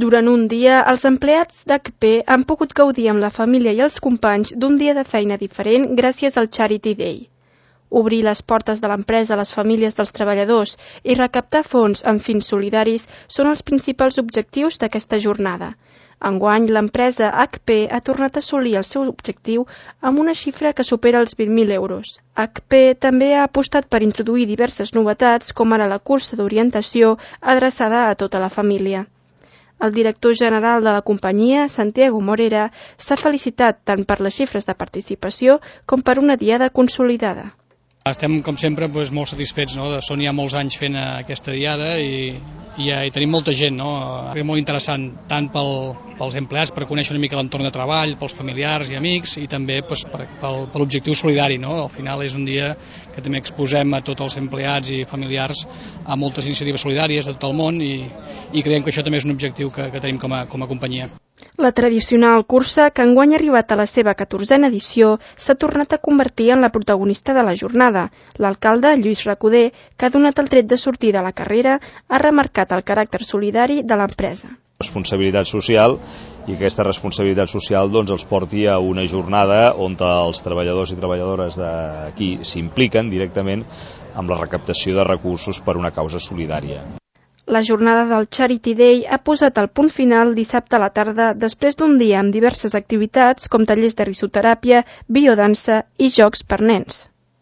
Durant un dia, els empleats d'HP han pogut gaudir amb la família i els companys d'un dia de feina diferent gràcies al Charity Day. Obrir les portes de l'empresa a les famílies dels treballadors i recaptar fons amb fins solidaris són els principals objectius d'aquesta jornada. Enguany, l'empresa HP ha tornat a assolir el seu objectiu amb una xifra que supera els 20.000 euros. HP també ha apostat per introduir diverses novetats, com ara la cursa d'orientació adreçada a tota la família. El director general de la companyia, Santiago Morera, s'ha felicitat tant per les xifres de participació com per una diada consolidada. Estem, com sempre, molt satisfets. Són ja molts anys fent aquesta diada i tenim molta gent. És molt interessant, tant pels empleats, per conèixer una mica l'entorn de treball, pels familiars i amics, i també per l'objectiu solidari. Al final és un dia que també exposem a tots els empleats i familiars a moltes iniciatives solidàries de tot el món i creiem que això també és un objectiu que tenim com a companyia. La tradicional cursa, que enguany ha arribat a la seva 14a edició, s'ha tornat a convertir en la protagonista de la jornada. L'alcalde, Lluís Recoder, que ha donat el tret de sortida a la carrera, ha remarcat el caràcter solidari de l'empresa. Responsabilitat social, i aquesta responsabilitat social els porti a una jornada on els treballadors i treballadores d'aquí s'impliquen directament amb la recaptació de recursos per una causa solidària. La jornada del Charity Day ha posat el punt final dissabte a la tarda després d'un dia amb diverses activitats com tallers de risoteràpia, biodansa i jocs per nens.